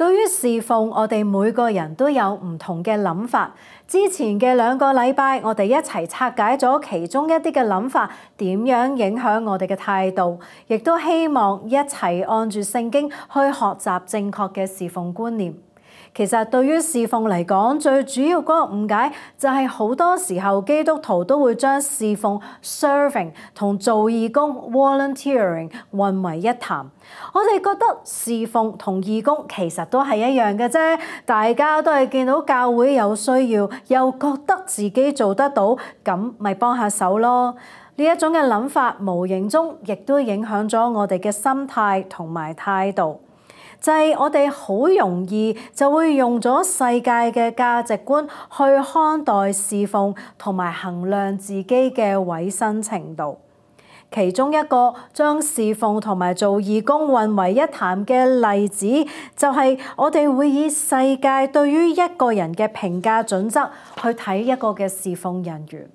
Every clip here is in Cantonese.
對於侍奉，我哋每個人都有唔同嘅諗法。之前嘅2個禮拜，我哋一齊拆解咗其中一啲嘅諗法，點樣影響我哋嘅態度，亦都希望一齊按住聖經去學習正確嘅侍奉觀念。其實對於侍奉嚟講，最主要嗰個誤解就係好多時候基督徒都會將侍奉 serving 同做義工 volunteering 混為一談。我哋覺得侍奉同義工其實都係一樣嘅啫，大家都係見到教會有需要，又覺得自己做得到，咁咪幫下手咯。呢一種嘅諗法，無形中亦都影響咗我哋嘅心態同埋態度。就係我哋好容易就會用咗世界嘅價值觀去看待侍奉同埋衡量自己嘅委身程度。其中一個將侍奉同埋做義工混為一談嘅例子，就係我哋會以世界對於一個人嘅評價準則去睇一個嘅侍奉人員，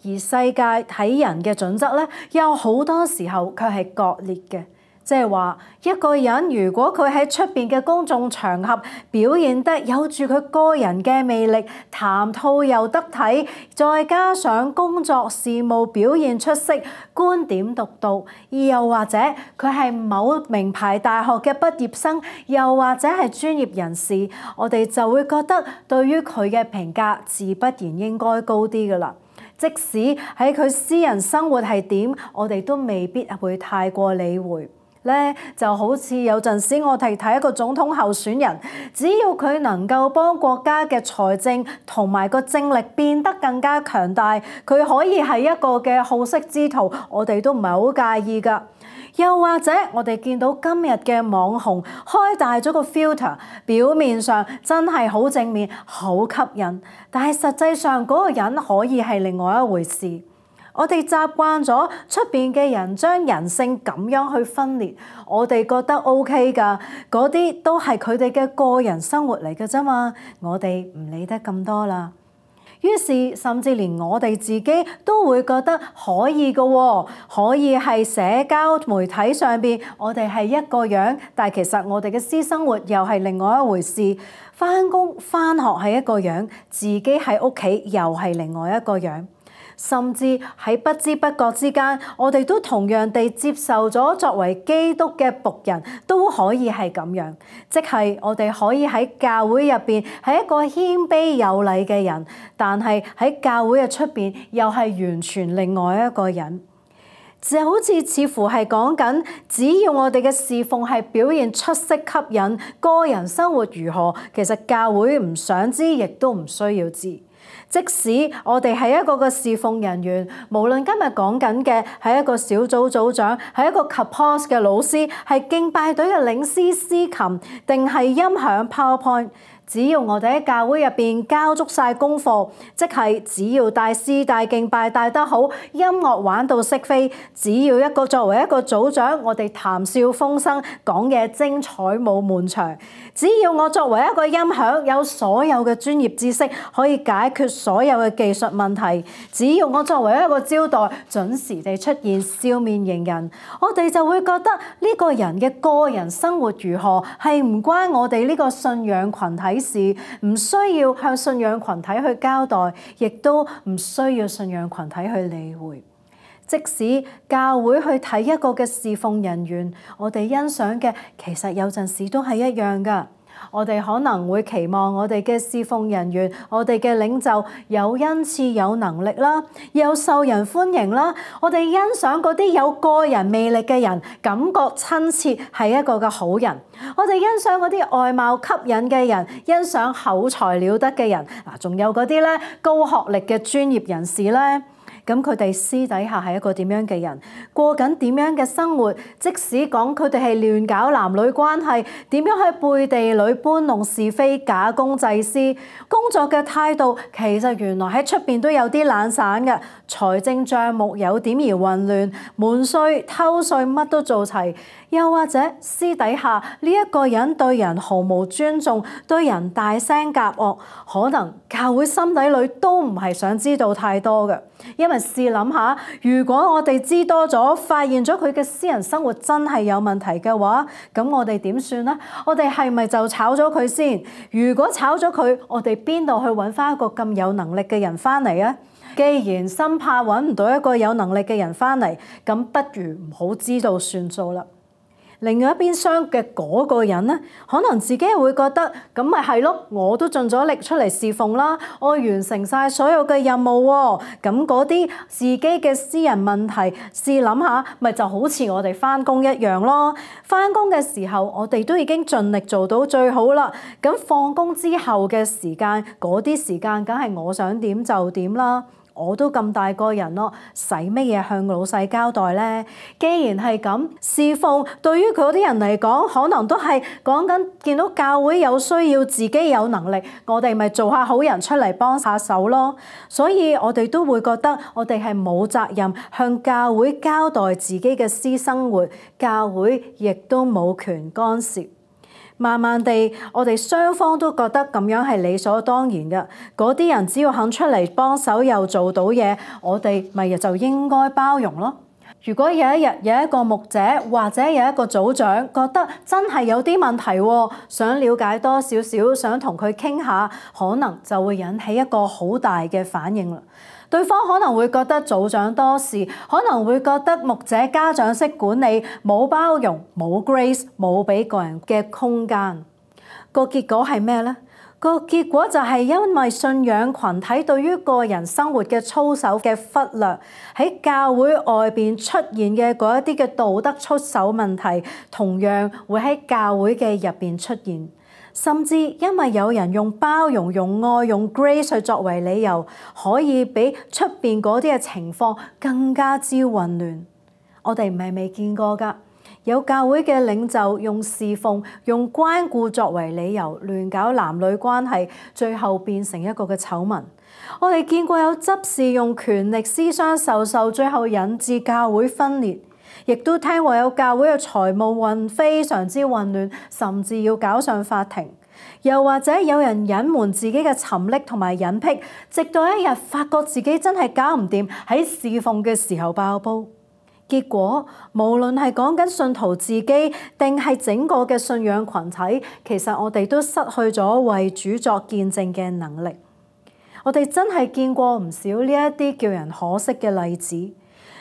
而世界睇人嘅準則咧，有好多時候佢係割裂嘅。即係話一個人如果佢喺出邊嘅公眾場合表現得有住佢個人嘅魅力，談吐又得體，再加上工作事務表現出色，觀點獨到，又或者佢係某名牌大學嘅畢業生，又或者係專業人士，我哋就會覺得對於佢嘅評價自不然應該高啲㗎喇。即使喺佢私人生活係點，我哋都未必會太過理會。就好似有陣時我哋睇一個總統候選人，只要佢能夠幫國家嘅財政同埋個政力變得更加強大，佢可以係一個嘅好色之徒，我哋都唔係好介意㗎。又或者我哋見到今日嘅網紅開大咗個 filter， 表面上真係好正面、好吸引，但係實際上嗰個人可以係另外一回事。我哋習慣咗出邊嘅人將人性咁樣去分裂，我哋覺得 OK 㗎，嗰啲都係佢哋嘅個人生活嚟嘅啫嘛，我哋唔理得咁多啦。於是甚至連我哋自己都會覺得可以嘅喎，可以係社交媒體上邊我哋係一個樣，但係其實我哋嘅私生活又係另外一回事。返工返學係一個樣，自己喺屋企又係另外一個樣。甚至喺不知不覺之間，我哋都同樣地接受咗作為基督嘅僕人都可以係咁樣，即係我哋可以喺教會入邊係一個謙卑有禮嘅人，但係喺教會嘅出邊又係完全另外一個人。就好似乎係講緊，只要我哋嘅侍奉係表現出色吸引，個人生活如何，其實教會唔想知，亦都唔需要知。即使我哋係一個嘅侍奉人員，無論今日講緊嘅係一個小組組長，係一個 Kapos 嘅老師，係敬拜隊嘅領詩司琴，定係音響 PowerPoint， 只要我哋喺教會入邊交足晒功課，即係只要帶詩帶敬拜帶得好，音樂玩到識飛，只要作為一個組長，我哋談笑風生，講嘢精彩冇悶場。只要我作為一個音響，有所有嘅專業知識，可以解決所有嘅技術問題；只要我作為一個招待，準時地出現，笑面迎人，我哋就會覺得呢個人嘅個人生活如何係唔關我哋呢個信仰群體事，唔需要向信仰群體去交代，亦都唔需要信仰群體去理會。即使教會去睇一個嘅侍奉人員，我哋欣賞嘅其實有陣時都係一樣㗎。我哋可能會期望我哋嘅侍奉人員，我哋嘅領袖有恩賜、有能力啦，又受人歡迎啦。我哋欣賞嗰啲有個人魅力嘅人，感覺親切，係一個嘅好人。我哋欣賞嗰啲外貌吸引嘅人，欣賞口才了得嘅人。仲有嗰啲咧高學歷嘅專業人士咧。咁佢哋私底下係一個點樣嘅人，過緊點樣嘅生活？即使講佢哋係亂搞男女關係，點樣喺背地裏搬弄是非、假公濟私，工作嘅態度其實原來喺出邊都有啲懶散嘅，財政帳目有點而混亂，瞞稅偷稅乜都做齊，又或者私底下呢一個人對人毫無尊重，對人大聲夾惡，可能教會心底裏都唔係想知道太多嘅。因為試諗下，如果我哋知多咗，發現咗佢嘅私人生活真係有問題嘅話，咁我哋點算呢？我哋係咪就炒咗佢先？如果炒咗佢，我哋邊度去揾翻一個咁有能力嘅人翻嚟啊？既然深怕揾唔到一個有能力嘅人翻嚟，咁不如唔好知道算數啦。另外一邊廂嘅嗰個人呢，可能自己會覺得咁咪係咯，我都盡咗力出嚟侍奉啦，我完成晒所有嘅任務喎。咁嗰啲自己嘅私人問題，試諗下，咪就好似我哋返工一樣咯。返工嘅時候，我哋都已經盡力做到最好啦。咁放工之後嘅時間，嗰啲時間梗係我想點就點啦。我都咁大個人咯，使乜嘢向老細交代呢？既然係咁，侍奉對於嗰啲人嚟講，可能都係講緊見到教會有需要，自己有能力，我哋咪做下好人出嚟幫下手咯。所以我哋都會覺得我哋係冇責任向教會交代自己嘅私生活，教會亦都冇權干涉。慢慢地，我哋雙方都覺得咁樣係理所當然嘅。嗰啲人只要肯出嚟幫手又做到嘢，我哋咪就應該包容咯。如果有一日有一個牧者或者有一個組長覺得真係有啲問題，想了解多少少，想同佢傾下，可能就會引起一個好大嘅反應啦。對方可能會覺得組長多事，可能會覺得牧者家長式管理，冇包容，冇 grace， 冇俾個人嘅空間。個結果係咩呢？個結果就係因為信仰群體對於個人生活嘅操守嘅忽略，喺教會外邊出現嘅嗰一啲嘅道德出手問題，同樣會喺教會嘅入邊出現。甚至因為有人用包容、用愛、用 grace 去作為理由，可以比出邊嗰啲嘅情況更加之混亂。我哋唔係未見過㗎，有教會嘅領袖用侍奉、用關顧作為理由，亂搞男女關係，最後變成一個嘅醜聞。我哋見過有執事用權力私相授受，最後引致教會分裂。亦都聽過有教會嘅財務運非常之混亂，甚至要搞上法庭。又或者有人隱瞞自己嘅沉溺同埋隱癖，直到一日發覺自己真係搞唔掂，喺侍奉嘅時候爆煲。結果無論係講緊信徒自己，定係整個嘅信仰群體，其實我哋都失去咗為主作見證嘅能力。我哋真係見過唔少呢一啲叫人可惜嘅例子。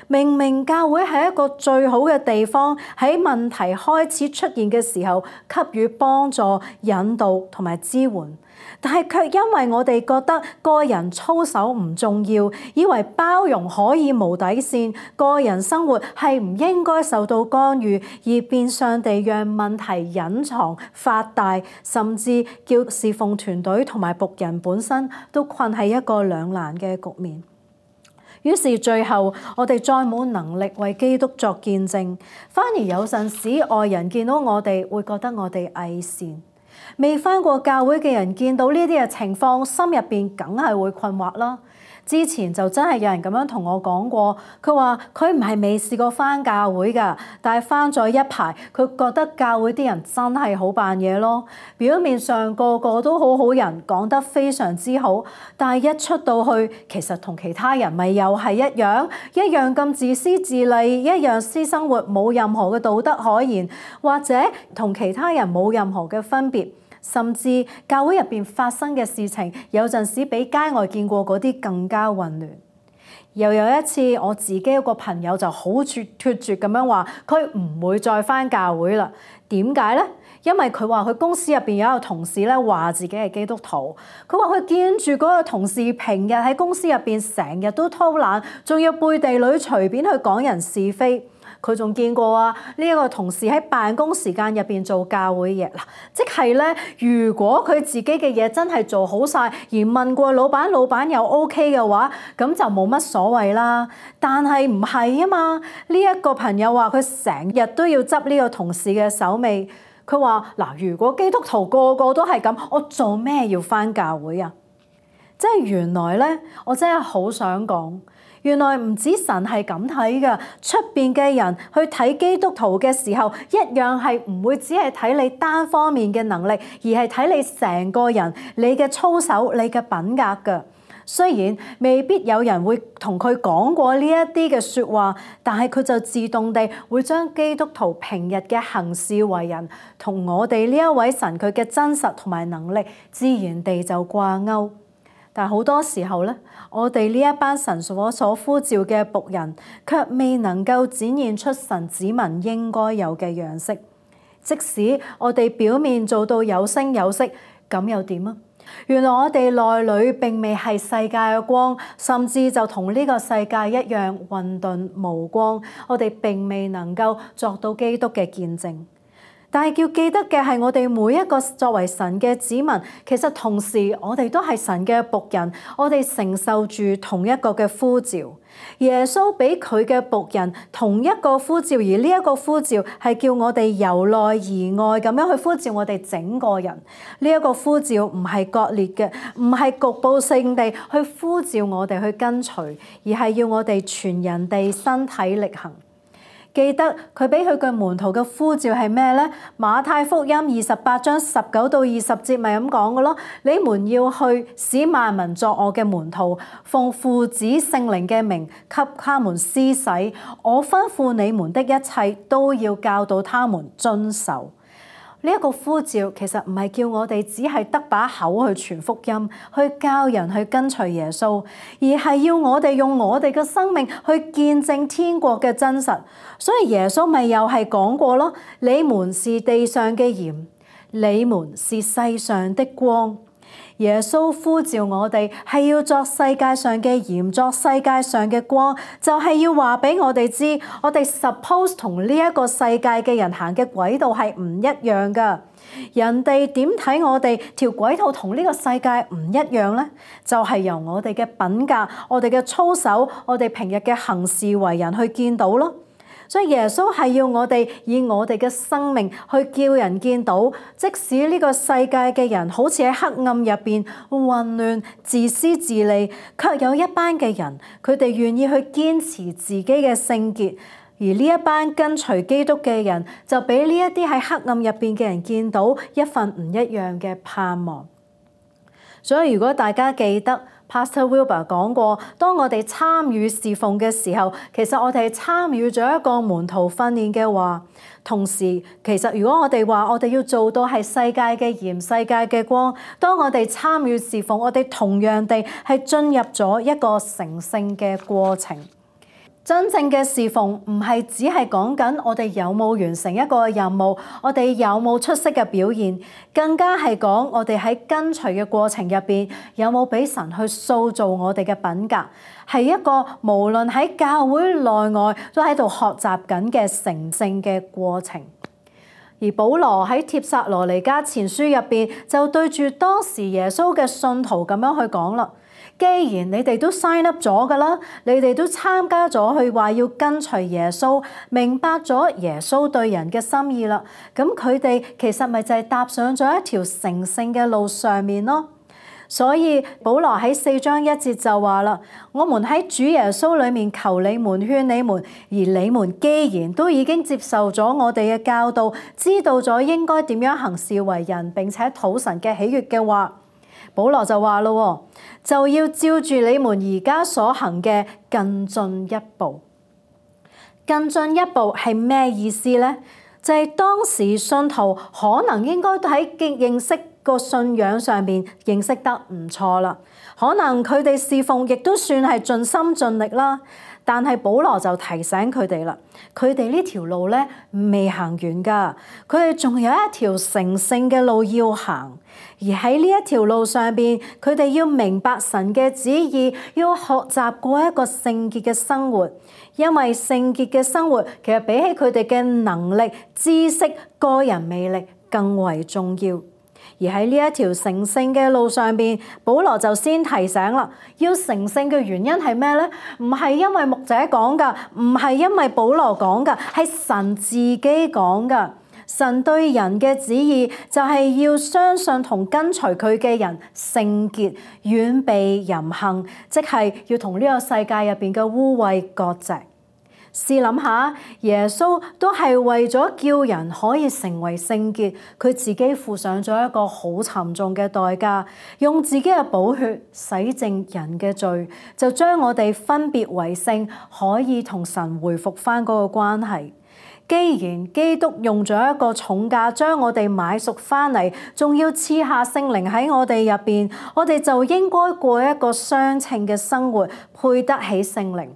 明明教會係一個最好嘅地方，喺問題開始出現嘅時候給予幫助、引導同埋支援，但係卻因為我哋覺得個人操守唔重要，以為包容可以無底線，個人生活係唔應該受到干預，而變相地讓問題隱藏發大，甚至叫侍奉團隊同埋僕人本身都困喺一個兩難嘅局面。於是最後，我哋再冇能力為基督作見證，反而有陣時外人見到我哋會覺得我哋偽善。未返過教會嘅人見到呢啲嘅情況，心入邊梗係會困惑啦。之前就真係有人咁樣同我講過，佢話佢唔係未試過返教會㗎，但係返咗一排，佢覺得教會啲人真係好扮嘢咯。表面上個個都好好人，講得非常之好，但係一出到去，其實同其他人咪又係一樣咁自私自利，一樣私生活冇任何嘅道德可言，或者同其他人冇任何嘅分別。甚至教會入邊發生嘅事情，有陣時比街外見過嗰啲更加混亂。又有一次，我自己一個朋友就好脫絕咁樣話，佢唔會再返教會啦。點解呢？因為佢話佢公司入邊有一個同事咧話自己係基督徒，佢話佢見住嗰個同事平日喺公司入邊成日都偷懶，仲要背地裏隨便去講人是非。佢仲見過啊，呢一個同事喺辦公時間入邊做教會嘢嗱，即係咧，如果佢自己嘅嘢真係做好晒，而問過老闆，老闆又 OK 嘅話，咁就冇乜所謂啦。但係唔係啊嘛？呢一個朋友話佢成日都要執呢個同事嘅手尾。佢話嗱，如果基督徒個個都係咁，我做咩要返教會啊？即係原來咧，我真係好想講。原來唔止神係咁睇㗎，出邊嘅人去睇基督徒嘅時候，一樣係唔會只係睇你單方面嘅能力，而係睇你成個人、你嘅操守、你嘅品格㗎。雖然未必有人會同佢講過呢一啲嘅説話，但係佢就自動地會將基督徒平日嘅行事為人同我哋呢一位神佢嘅真實同埋能力，自然地就掛鈎。但係好多時候咧，我哋呢一班神所呼召嘅僕人，卻未能夠展現出神子民應該有嘅樣式。即使我哋表面做到有聲有色，咁又點啊？原來我哋內裏並未係世界嘅光，甚至就同呢個世界一樣混沌無光。我哋並未能夠作到基督嘅見證。但係要記得嘅係，我哋每一個作為神嘅子民，其實同時我哋都係神嘅僕人，我哋承受住同一個嘅呼召。耶穌俾佢嘅僕人同一個呼召，而呢一個呼召係叫我哋由內而外咁樣去呼召我哋整個人。呢一個呼召唔係割裂嘅，唔係局部性地去呼召我哋去跟隨，而係要我哋全人地身體力行。記得佢俾佢嘅門徒嘅呼召係咩呢？馬太福音28章19到20節咪咁講嘅咯。你們要去使萬民作我嘅門徒，奉父子聖靈嘅名給他們施洗。我吩咐你們的一切都要教導他們遵守。呢一個呼召其實唔係叫我哋只係得把口去傳福音，去教人去跟隨耶穌，而係要我哋用我哋嘅生命去見證天國嘅真實。所以耶穌咪又係講過咯，你們是地上嘅鹽，你們是世上的光。耶穌呼召我哋係要作世界上嘅鹽，作世界上嘅光，就係要話俾我哋知，我哋 suppose 同呢一個世界嘅人行嘅軌道係唔一樣㗎。人哋點睇我哋條軌道同呢個世界唔一樣呢？就係由我哋嘅品格、我哋嘅操守、我哋平日嘅行事為人去見到咯。所以耶穌係要我哋以我哋嘅生命去叫人見到，即使呢個世界嘅人好似喺黑暗入邊混亂、自私自利，卻有一班嘅人，佢哋願意去堅持自己嘅聖潔，而呢一班跟隨基督嘅人，就俾呢一啲喺黑暗入邊嘅人見到一份唔一樣嘅盼望。所以如果大家記得Pastor Wilbur 講過，當我哋參與侍奉嘅時候，其實我哋參與咗一個門徒訓練嘅話，同時其實如果我哋話我哋要做到係世界嘅鹽、世界嘅光，當我哋參與侍奉，我哋同樣地係進入咗一個成聖嘅過程。真正嘅侍奉唔係只係講緊我哋有冇完成一個任務，我哋有冇出色嘅表現，更加係講我哋喺跟隨嘅過程入邊有冇俾神去塑造我哋嘅品格，係一個無論喺教會內外都喺度學習緊嘅成聖嘅過程。而保羅喺帖撒羅尼迦前書入邊就對住當時耶穌嘅信徒咁樣去講啦。既然你哋都 sign up 咗㗎啦，你哋都參加咗去話要跟隨耶穌，明白咗耶穌對人嘅心意啦，咁佢哋其實咪就係踏上咗一條成聖嘅路上面咯。所以保羅喺4章1節就話啦，我們喺主耶穌裏面求你們勸你們，而你們既然都已經接受咗我哋嘅教導，知道咗應該點樣行事為人，並且討神嘅喜悅嘅話，保羅就話咯，就要照住你們而家所行嘅更進一步。更進一步係咩意思呢？就係當時信徒可能應該都喺認識個信仰上面認識得唔錯啦，可能佢哋侍奉亦都算係盡心盡力啦。但係保羅就提醒佢哋啦，佢哋呢條路咧未行完㗎，佢哋仲有一條成聖嘅路要行。而喺呢一條路上邊，佢哋要明白神嘅旨意，要學習過一個聖潔嘅生活。因為聖潔嘅生活其實比起佢哋嘅能力、知識、個人魅力更為重要。而喺呢一條成聖嘅路上邊，保羅就先提醒啦，要成聖嘅原因係咩呢？唔係因為牧者講㗎，唔係因為保羅講㗎，係神自己講㗎。神對人嘅旨意就係要相信同跟隨佢嘅人聖潔，遠避淫行，即係要同呢個世界入邊嘅污穢割席。試諗下，耶穌都係為咗叫人可以成為聖潔，佢自己付上咗一個好沉重嘅代價，用自己嘅寶血洗淨人嘅罪，就將我哋分別為聖，可以同神回復返嗰個關係。既然基督用咗一個重價將我哋買贖返嚟，仲要賜下聖靈喺我哋入邊，我哋就應該過一個相稱嘅生活，配得起聖靈。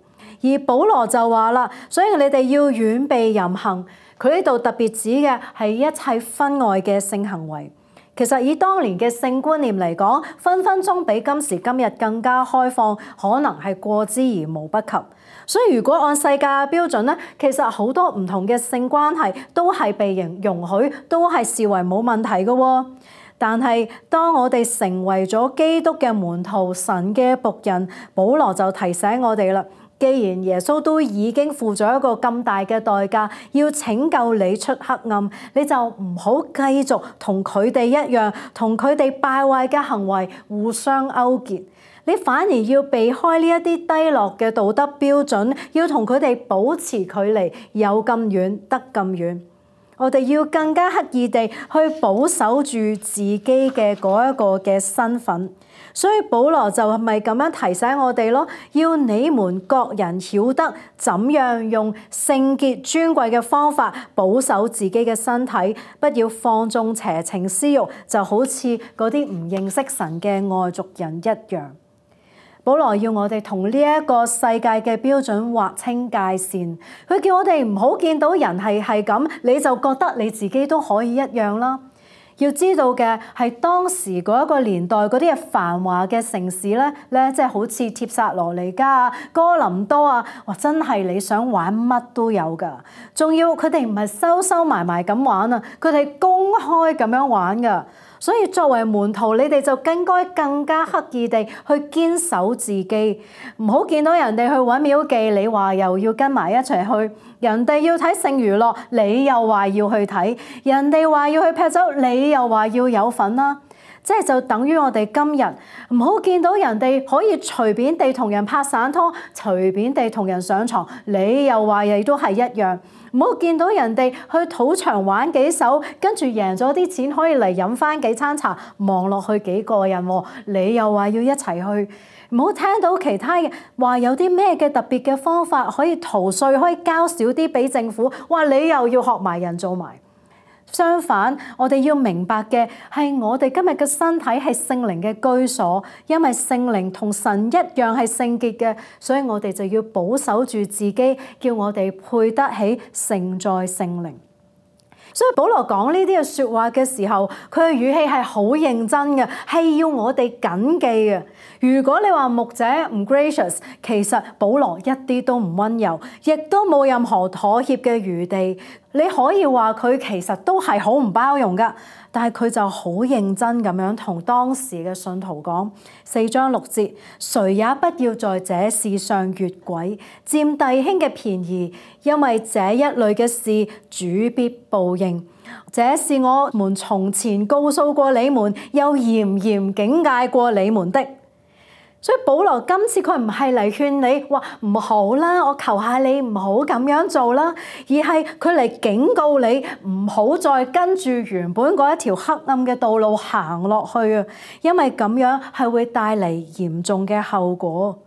而保羅就話啦，所以你哋要遠避淫行。佢呢度特別指嘅係一切婚外嘅性行為。其實以當年嘅性觀念嚟講，分分鐘比今時今日更加開放，可能係過之而無不及。所以如果按世界嘅標準咧，其實好多唔同嘅性關係都係被容許，都係視為冇問題嘅。但係當我哋成為咗基督嘅門徒、神嘅僕人，保羅就提醒我哋啦。既然耶穌都已經付咗一個咁大嘅代價，要拯救你出黑暗，你就唔好繼續同佢哋一樣，同佢哋敗壞嘅行為互相勾結。你反而要避開呢一啲低落嘅道德標準，要同佢哋保持距離，有咁遠得咁遠。我哋要更加刻意地去保守住自己嘅嗰一個嘅身份。所以保羅就係咪咁樣提醒我哋咯？要你們各人曉得怎樣用聖潔尊貴嘅方法保守自己嘅身體，不要放縱邪情私慾，就好似嗰啲唔認識神嘅外族人一樣。保羅要我哋同呢一個世界嘅標準劃清界線，佢叫我哋唔好見到人係咁，你就覺得你自己都可以一樣啦。要知道嘅係當時嗰一個年代嗰啲嘅繁華嘅城市咧，即係好似帖撒羅尼迦啊、哥林多啊，哇！真係你想玩乜都有㗎。仲要佢哋唔係收埋咁玩啊，佢哋公開咁樣玩㗎。所以作為門徒，你哋就應該更加刻意地去堅守自己，唔好見到人哋去搵廟妓，你話又要跟埋一齊去；人哋要睇性娛樂，你又話要去睇；人哋話要去劈酒，你又話要有份啦。即係就等於我哋今日唔好見到人哋可以隨便地同人拍散拖，隨便地同人上床，你又話亦都係一樣。唔好見到人哋去賭場玩幾手，跟住贏咗啲錢可以嚟飲翻幾餐茶，望落去幾過癮，你又話要一齊去。唔好聽到其他嘅話有啲咩嘅特別嘅方法可以逃稅，可以交少啲俾政府，哇！你又要學埋人做埋。相反，我哋要明白嘅係我哋今日嘅身體係聖靈嘅居所，因為聖靈同神一樣係聖潔嘅，所以我哋就要保守住自己，叫我哋配得起承載聖靈。所以保羅講呢啲嘅說話嘅時候，佢嘅語氣係好認真嘅，係要我哋謹記嘅。如果你話牧者唔 gracious， 其實保羅一啲都唔溫柔，亦都冇任何妥協嘅餘地。你可以話佢其實都係好唔包容噶，但係佢就好認真咁樣同當時嘅信徒講，4章6節，誰也不要在這事上越軌，佔弟兄嘅便宜，因為這一類嘅事主必報應。這是我們從前告訴過你們，又嚴嚴警戒過你們的。所以保羅今次佢唔係嚟勸你話唔好啦，我求下你唔好咁樣做啦，而係佢嚟警告你唔好再跟住原本嗰一條黑暗嘅道路行落去啊，因為咁樣係會帶嚟嚴重嘅後果。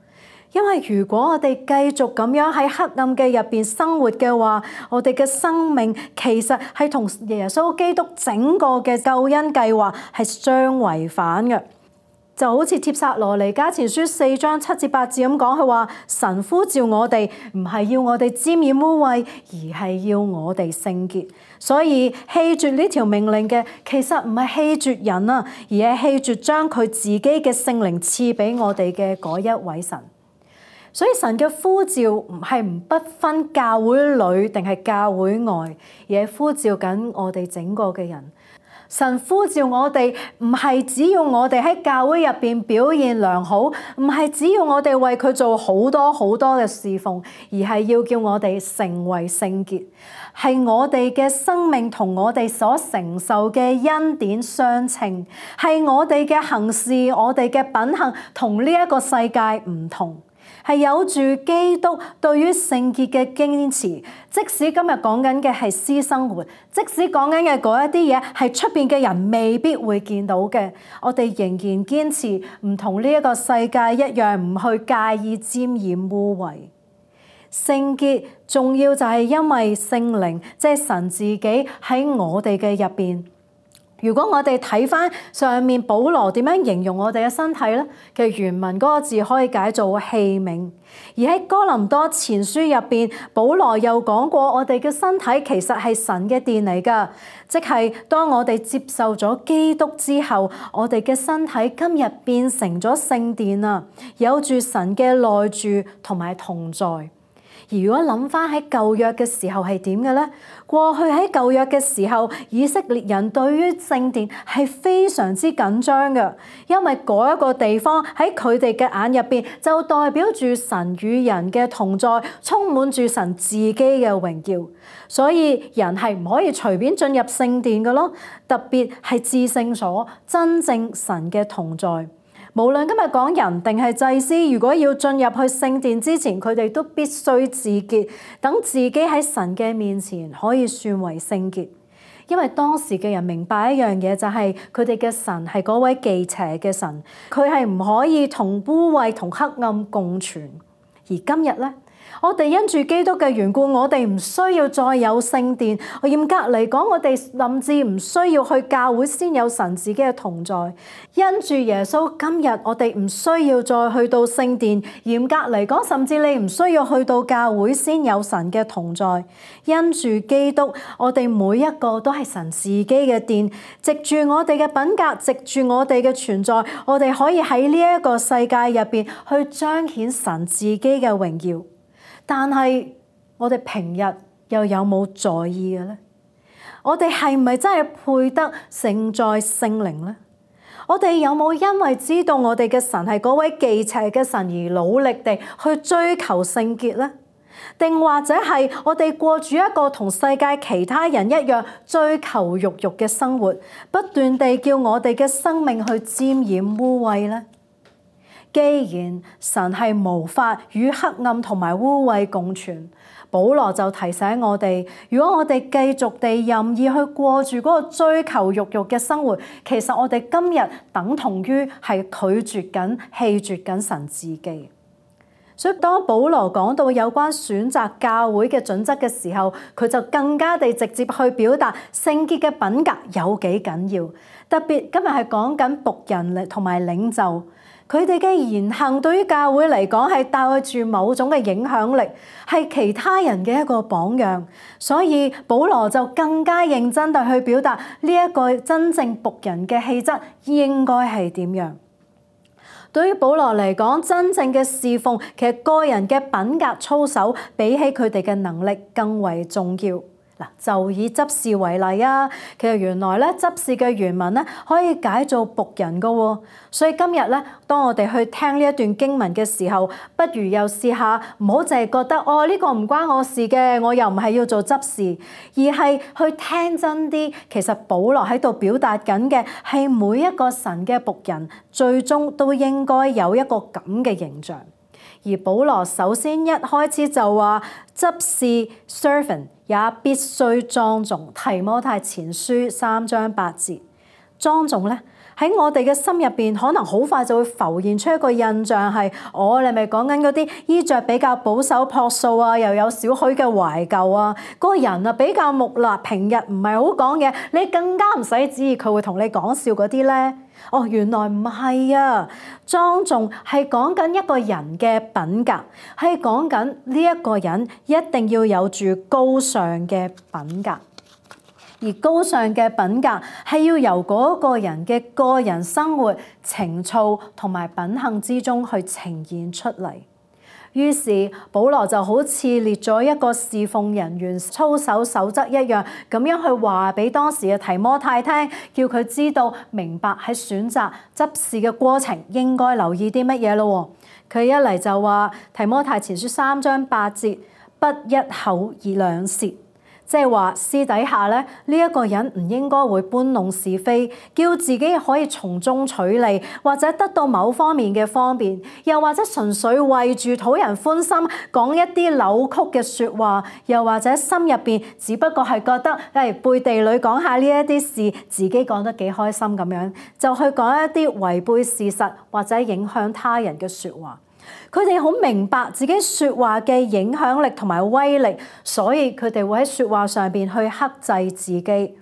因為如果我哋繼續咁樣喺黑暗嘅入邊生活嘅話，我哋嘅生命其實係同耶穌基督整個嘅救恩計劃係相違反嘅。就好似帖撒羅尼迦前書4章7至8節咁講，佢話神呼召我哋唔係要我哋沾染污穢，而係要我哋聖潔。所以棄絕呢條命令嘅，其實唔係棄絕人啊，而係棄絕將佢自己嘅聖靈賜俾我哋嘅嗰一位神。所以神嘅呼召唔係不分教會裏定係教會外，而係呼召緊我哋整個嘅人。神呼召我哋，唔係只要我哋喺教會入邊表現良好，唔係只要我哋為佢做好多好多嘅侍奉，而係要叫我哋成為聖潔，係我哋嘅生命同我哋所承受嘅恩典相稱，係我哋嘅行事，我哋嘅品行同呢一個世界唔同。係有住基督對於聖潔嘅堅持，即使今日講緊嘅係私生活，即使講緊嘅嗰一啲嘢係出邊嘅人未必會見到嘅，我哋仍然堅持唔同呢一個世界一樣，唔去介意沾染污穢。聖潔重要就係因為聖靈，即係神自己喺我哋嘅入邊。如果我哋睇翻上面保羅點樣形容我哋嘅身體咧，其實原文嗰個字可以解做器皿。而喺哥林多前書入邊，保羅又講過我哋嘅身體其實係神嘅殿嚟㗎，即係當我哋接受咗基督之後，我哋嘅身體今日變成咗聖殿啊，有住神嘅內住同埋同在。而如果諗翻喺舊約嘅時候係點嘅咧？過去喺舊約嘅時候，以色列人對於聖殿係非常之緊張嘅，因為嗰一個地方喺佢哋嘅眼入邊就代表住神與人嘅同在，充滿住神自己嘅榮耀，所以人係唔可以隨便進入聖殿嘅咯，特別係至聖所，真正神嘅同在。無論今日講人定係祭司，如果要進入去聖殿之前，佢哋都必須自潔，等自己喺神嘅面前可以算為聖潔。因為當時嘅人明白一樣嘢，就係佢哋嘅神係嗰位忌邪嘅神，佢係唔可以同污穢同黑暗共存。而今日咧，我哋因住基督嘅緣故，我哋唔需要再有聖殿。嚴格嚟講，我哋甚至唔需要去教會先有神自己嘅同在。因住耶穌，今日我哋唔需要再去到聖殿。嚴格嚟講，甚至你唔需要去到教會先有神嘅同在。因住基督，我哋每一個都係神自己嘅殿。藉住我哋嘅品格，藉住我哋嘅存在，我哋可以喺呢一個世界入邊去彰顯神自己嘅榮耀。但係我哋平日又有冇在意嘅咧？我哋係唔係真係配得承載聖靈咧？我哋有冇因為知道我哋嘅神係嗰位忌邪嘅神而努力地去追求聖潔咧？定或者係我哋過住一個同世界其他人一樣追求肉慾嘅生活，不斷地叫我哋嘅生命去沾染污穢咧？既然神係無法與黑暗同埋污穢共存，保羅就提醒我哋，如果我哋繼續地任意去過住嗰個追求肉慾嘅生活，其實我哋今日等同於係拒絕緊、棄絕緊神自己。所以當保羅講到有關選擇教會嘅準則嘅時候，佢就更加地直接去表達聖潔嘅品格有幾緊要。特別今日係講緊僕人同埋領袖。佢哋嘅言行對於教會嚟講係帶住某種嘅影響力，係其他人嘅一個榜樣。所以保羅就更加認真地去表達呢一個真正僕人嘅氣質應該係點樣。對於保羅嚟講，真正嘅侍奉其實個人嘅品格操守比起佢哋嘅能力更為重要。嗱，就以執事為例啊，其實原來咧執事嘅原文咧可以解做僕人噶喎，所以今日咧，當我哋去聽呢一段經文嘅時候，不如又試下唔好淨係覺得呢個唔關我事嘅，我又唔係要做執事，而係去聽真啲。其實保羅喺度表達緊嘅係每一個神嘅僕人，最終都應該有一個咁嘅形象。而保羅首先一開始就話執事 servant 也必須莊重。提摩太前書3章8節，莊重咧喺我哋嘅心入邊，可能好快就會浮現出一個印象係，你咪講緊嗰啲衣着比較保守樸素啊，又有少許嘅懷舊啊，嗰個人啊比較木訥，平日唔係好講嘢，你更加唔使指意佢會同你講笑嗰啲咧。原來唔係啊！莊重係講緊一個人嘅品格，係講緊呢一個人一定要有住高尚嘅品格，而高尚嘅品格係要由嗰個人嘅個人生活、情操同埋品行之中去呈現出嚟。於是保羅就好似列咗一個侍奉人員操守守則一樣，咁樣去話俾當時嘅提摩太聽，叫佢知道明白喺選擇執事嘅過程應該留意啲乜嘢咯。佢一嚟就話提摩太前書3章8節，不一口而兩舌，即係話私底下咧呢一個人唔應該會搬弄是非，叫自己可以從中取利，或者得到某方面嘅方便，又或者純粹為住討人歡心講一啲扭曲嘅説話，又或者心入邊只不過係覺得背地裏講下呢一啲事，自己講得幾開心咁樣，就去講一啲違背事實或者影響他人嘅説話。佢哋好明白自己説話嘅影響力同埋威力，所以佢哋會喺説話上邊去克制自己。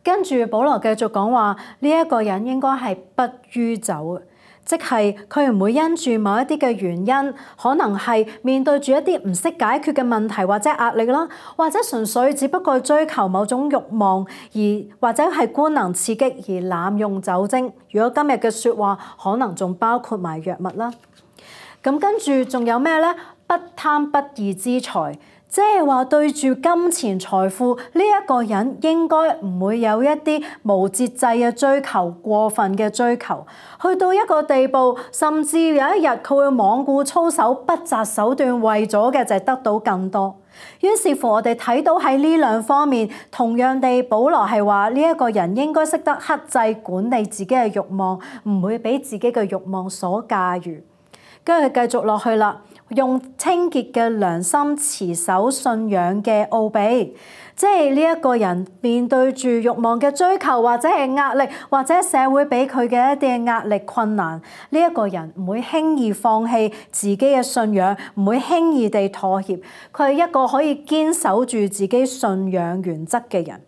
跟住保羅繼續講話，呢一個人應該係不酗酒，即係佢唔會因住某一啲嘅原因，可能係面對住一啲唔識解決嘅問題或者壓力啦，或者純粹只不過追求某種慾望，或者係官能刺激而濫用酒精。如果今日嘅説話，可能仲包括埋藥物啦。咁跟住仲有咩呢？不貪不義之財，即係話對住金錢財富呢一個人應該唔會有一啲無節制嘅追求、過分嘅追求，去到一個地步，甚至有一日佢會罔顧操守、不擇手段，為咗嘅就係得到更多。於是乎，我哋睇到喺呢兩方面，同樣地，保羅係話呢一個人應該識得克制管理自己嘅慾望，唔會俾自己嘅慾望所駕馭。跟住繼續落去啦，用清潔嘅良心持守信仰嘅奧秘，即係呢一個人面對住慾望嘅追求，或者係壓力，或者社會俾佢嘅一啲壓力困難，呢一個人唔會輕易放棄自己嘅信仰，唔會輕易地妥協，佢係一個可以堅守住自己信仰原則嘅人。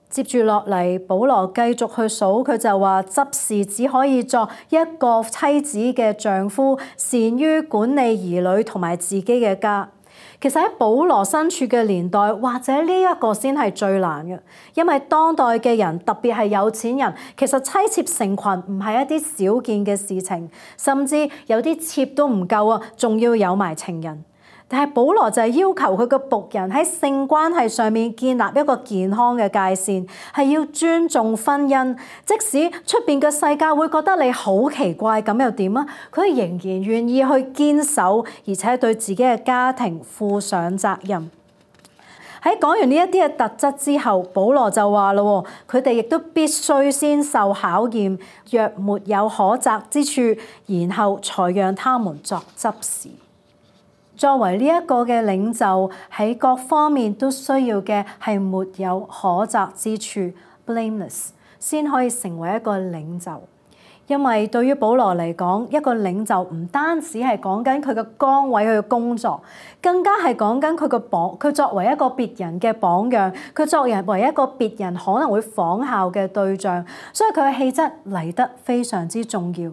接住落嚟，保羅繼續去數，佢就話執事只可以作一個妻子嘅丈夫，善於管理兒女同埋自己嘅家。其實喺保羅身處嘅年代，或者呢一個先係最難嘅，因為當代嘅人，特別係有錢人，其實妻妾成群唔係一啲少見嘅事情，甚至有啲妾都唔夠啊，仲要有埋情人。但係保羅就係要求佢個僕人喺性關係上面建立一個健康嘅界線，係要尊重婚姻。即使出邊嘅世界會覺得你好奇怪，咁又點啊？佢仍然願意去堅守，而且對自己嘅家庭負上責任。喺講完呢一啲嘅特質之後，保羅就話咯，佢哋亦都必須先受考驗，若沒有可責之處，然後才讓他們作執事。作為呢一個嘅領袖，喺各方面都需要嘅係沒有可責之處 （blameless）， 先可以成為一個領袖。因為對於保羅嚟講，一個領袖唔單止係講緊佢嘅崗位、佢嘅工作，更加係講緊佢作為一個別人嘅榜樣，佢作為一個別人可能會仿效嘅對象，所以佢嘅氣質嚟得非常之重要。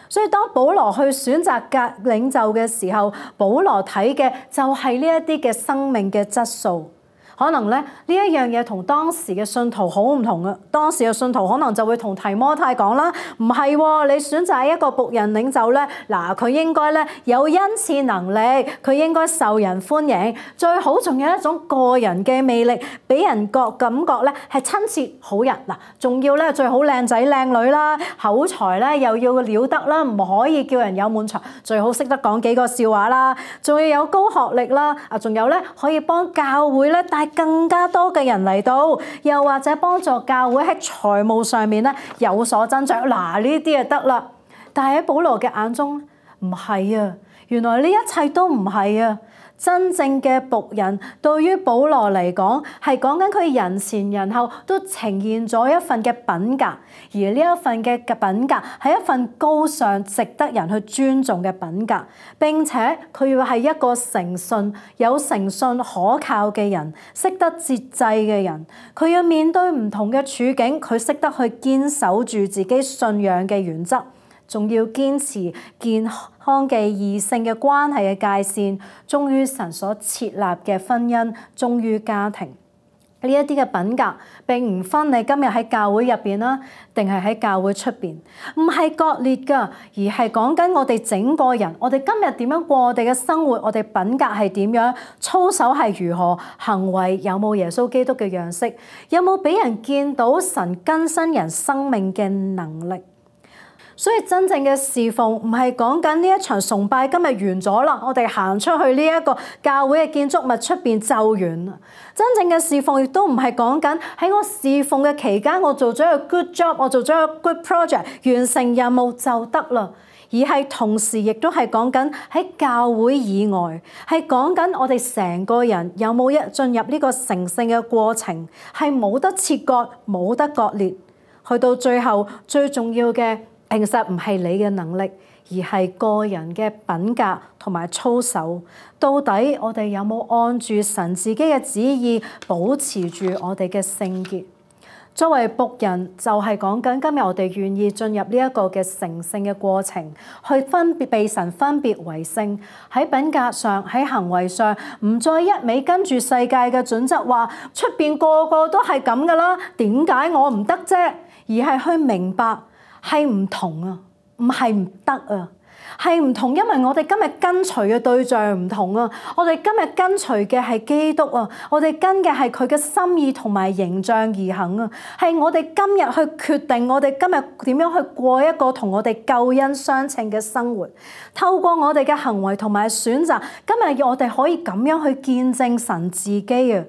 所以當保羅去選擇領袖嘅時候，保羅睇嘅就係呢一啲嘅生命嘅質素。可能咧呢一樣嘢同當時嘅信徒好唔同啊！當時嘅信徒可能就會同提摩太講啦，唔係喎，你選擇一個僕人領袖咧，嗱佢應該咧有恩賜能力，佢應該受人歡迎，最好仲有一種個人嘅魅力，俾人感覺咧係親切好人嗱，仲要咧最好靚仔靚女啦，口才咧又要了得啦，唔可以叫人有悶場，最好識得講幾個笑話啦，仲要有高學歷啦，仲有咧可以幫教會咧帶更加多嘅人嚟到，又或者幫助教會喺財務上面咧有所增長，嗱呢啲就得啦。但係喺保羅嘅眼中唔係啊，原來呢一切都唔係啊。真正嘅僕人對於保羅嚟講，係講緊佢人前人後都呈現咗一份嘅品格，而呢一份嘅品格係一份高尚、值得人去尊重嘅品格。並且佢要係一個誠信、有誠信可靠嘅人，識得節制嘅人。佢要面對唔同嘅處境，佢識得去堅守住自己信仰嘅原則，仲要堅持健康嘅異性嘅關係嘅界線，忠於神所設立嘅婚姻，忠於家庭。呢一啲嘅品格並唔分你今日喺教會入邊啦，定係喺教會出邊，唔係割裂㗎，而係講緊我哋整個人，我哋今日點樣過我哋嘅生活，我哋品格係點樣，操守係如何，行為有冇耶穌基督嘅樣式，有冇俾人見到神更新人生命嘅能力。所以真正嘅侍奉唔係講緊呢一場崇拜今日完咗啦，我哋行出去呢一個教會嘅建築物出邊就完啦。真正嘅侍奉亦都唔係講緊喺我侍奉嘅期間，我做咗一個 good job， 我做咗一個 good project， 完成任務就得啦。而係同時亦都係講緊喺教會以外，係講緊我哋成個人有冇進入呢個成聖嘅過程，係冇得切割，冇得割裂，去到最後最重要嘅。其實唔係你嘅能力，而係個人嘅品格同埋操守。到底我哋有冇按住神自己嘅旨意，保持住我哋嘅聖潔？作為僕人，就係講緊今日我哋願意進入呢一個嘅成聖嘅過程，去被神分別為聖。喺品格上，喺行為上，唔再一味跟住世界嘅準則，話出邊個個都係咁噶啦，點解我唔得啫？而係去明白。係唔同啊，唔係唔得啊，係唔同，因為我哋今日跟隨嘅對象唔同啊，我哋今日跟隨嘅係基督啊，我哋跟嘅係佢嘅心意同埋形象而行啊，係我哋今日去決定我哋今日點樣去過一個同我哋救恩相稱嘅生活，透過我哋嘅行為同埋選擇，今日我哋可以咁樣去見證神自己啊。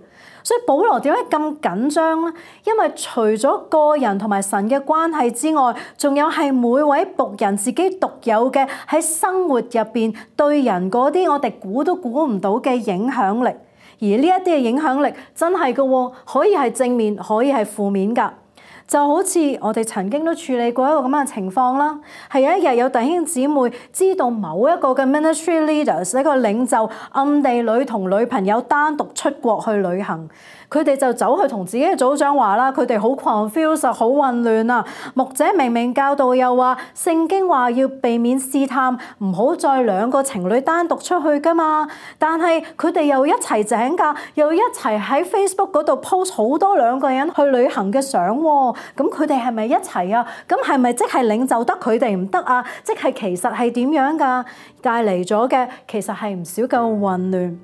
所以保羅點解咁緊張咧？因為除咗個人同埋神嘅關係之外，仲有係每位僕人自己獨有嘅喺生活入邊對人嗰啲我哋估都估唔到嘅影響力。而呢一啲嘅影響力真係嘅喎，可以係正面，可以係負面㗎。就好似我哋曾經都處理過一個咁樣嘅情況啦，係有一日有弟兄姊妹知道某一個嘅 ministry leaders 一個領袖暗地裏同女朋友單獨出國去旅行。佢哋就走去同自己嘅組長話啦，佢哋好 confused， 好混亂啊！牧者明明教導又話聖經話要避免試探，唔好再兩個情侶單獨出去噶嘛。但係佢哋又一齊請假，又一齊喺 Facebook 嗰度 post 好多兩個人去旅行嘅相喎。咁佢哋係咪一齊啊？咁係咪即係領袖得佢哋唔得啊？即係其實係點樣㗎？帶嚟咗嘅其實係唔少嘅混亂。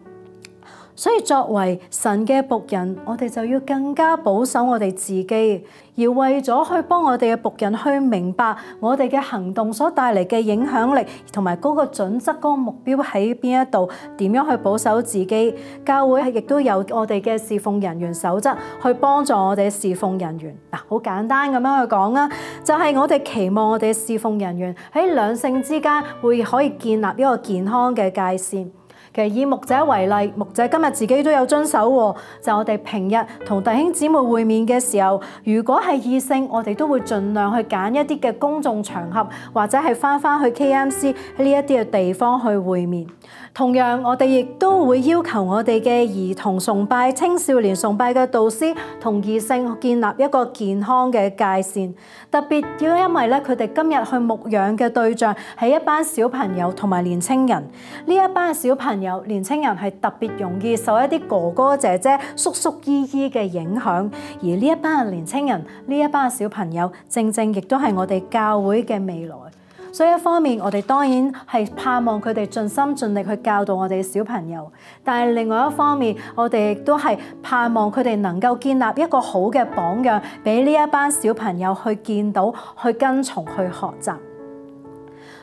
所以作為神嘅僕人，我哋就要更加保守我哋自己，而為咗去幫我哋嘅僕人去明白我哋嘅行動所帶嚟嘅影響力，同埋嗰個準則、嗰個目標喺邊一度，點樣去保守自己。教會亦都有我哋嘅侍奉人員守則去幫助我哋侍奉人員。嗱，好簡單咁樣去講啦，就係我哋期望我哋侍奉人員喺兩性之間會可以建立一個健康嘅界線。其實以牧者為例，牧者今日自己都有遵守喎。就我哋平日同弟兄姊妹會面嘅時候，如果係異性，我哋都會盡量去揀一啲嘅公眾場合，或者係返去 KMC 呢一啲嘅地方去會面。同樣，我哋亦都會要求我哋嘅兒童崇拜、青少年崇拜嘅導師同異性建立一個健康嘅界線。特別要因為咧，佢哋今日去牧養嘅對象係一班小朋友同埋年青人。呢一班小朋友、年青人係特別容易受一啲哥哥姐姐、叔叔姨姨嘅影響。而呢一班嘅年青人、呢一班嘅小朋友，正正亦都係我哋教會嘅未來。所以一方面，我哋當然係盼望佢哋盡心盡力去教導我哋小朋友，但係另外一方面，我哋亦都係盼望佢哋能夠建立一個好嘅榜樣，俾呢一班小朋友去見到、去跟從、去學習。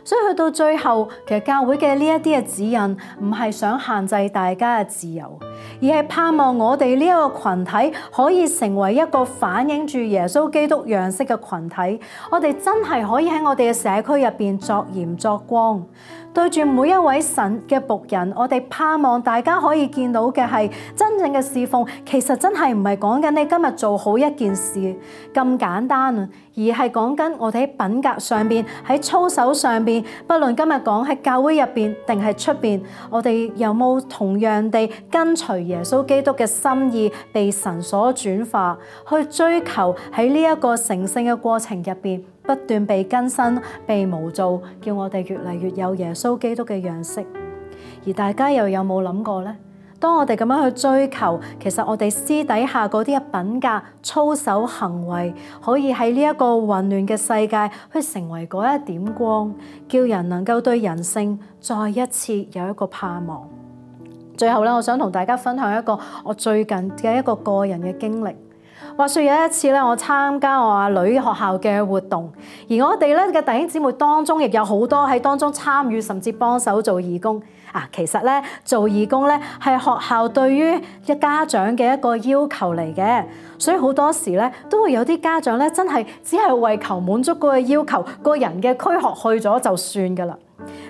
所以去到最後，其實教會嘅呢一啲嘅指引，唔係想限制大家嘅自由，而係盼望我哋呢一個群體可以成為一個反映住耶穌基督樣式嘅群體。我哋真係可以喺我哋嘅社區入邊作鹽作光。對住每一位神嘅僕人，我哋盼望大家可以見到嘅係真正嘅侍奉，其實真係唔係講緊你今日做好一件事咁簡單啊，而係講緊我哋喺品格上邊、喺操守上邊，不論今日講喺教會入邊定係出邊，我哋有冇同樣地跟隨耶穌基督嘅心意，被神所轉化，去追求喺呢一個成聖嘅過程入邊，不斷被更新、被模造，叫我哋越嚟越有耶穌基督嘅樣式。而大家又有冇諗過呢？當我哋咁樣去追求，其實我哋私底下嗰啲嘅品格、操守、行為，可以喺呢一個混亂嘅世界去成為嗰一點光，叫人能夠對人性再一次有一個盼望。最後咧，我想同大家分享一個我最近嘅一個個人嘅經歷。話說有一次咧，我參加我阿女學校嘅活動，而我哋咧嘅弟兄姊妹當中，亦有好多喺當中參與，甚至幫手做義工。其實咧做義工咧係學校對於家長嘅一個要求嚟嘅，所以好多時咧都會有啲家長咧真係只係為求滿足嗰個要求，個人嘅軀殼去咗就算噶啦。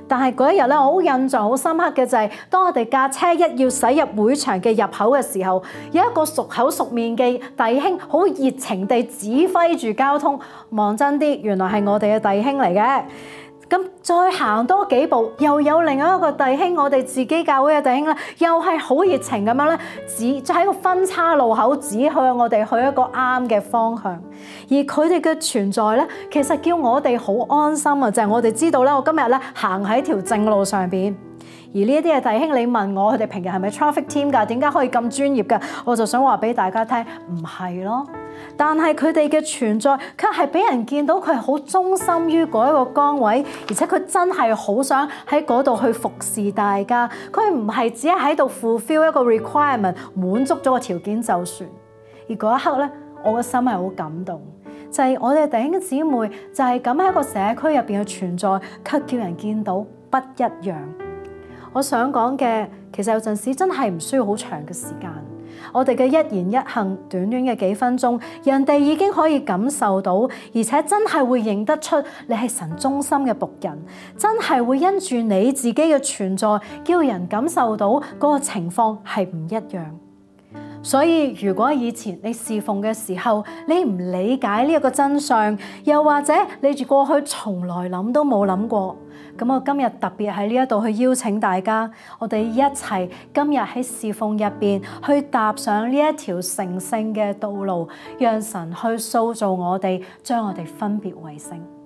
但係嗰一日咧，我好印象好深刻嘅就係，當我哋架車一要駛入會場嘅入口嘅時候，有一個熟口熟面嘅弟兄，好熱情地指揮住交通。望真啲，原來係我哋嘅弟兄嚟嘅。咁再行多幾步，又有另外一個弟兄，我哋自己教會嘅弟兄咧，又係好熱情咁樣咧，就喺個分岔路口指向我哋去一個啱嘅方向。而佢哋嘅存在咧，其實叫我哋好安心啊！就係我哋知道咧，我今日咧行喺條正路上邊。而呢一啲嘅弟兄，你問我佢哋平日係咪 traffic team 㗎？點解可以咁專業㗎？我就想話俾大家聽，唔係咯。但係佢哋嘅存在，卻係俾人見到佢係好忠心於嗰一個崗位，而且佢真係好想喺嗰度去服侍大家。佢唔係只係喺度 fulfill 一個 requirement， 滿足咗個條件就算。而嗰一刻咧，我個心係好感動，就係我哋弟兄姊妹就係咁喺一個社區入邊嘅存在，卻叫人見到不一樣。我想講嘅，其實有陣時真係唔需要好長嘅時間，我哋嘅一言一行，短短嘅幾分鐘，人哋已經可以感受到，而且真係會認得出你係神忠心嘅僕人，真係會因住你自己嘅存在，叫人感受到嗰個情況係唔一樣。所以如果以前你侍奉嘅時候，你唔理解呢一個真相，又或者你住過去從來諗都冇諗過，咁我今日特別喺呢一度去邀請大家，我哋一齊今日喺侍奉入邊去踏上呢一條成聖嘅道路，讓神去塑造我哋，將我哋分別為聖。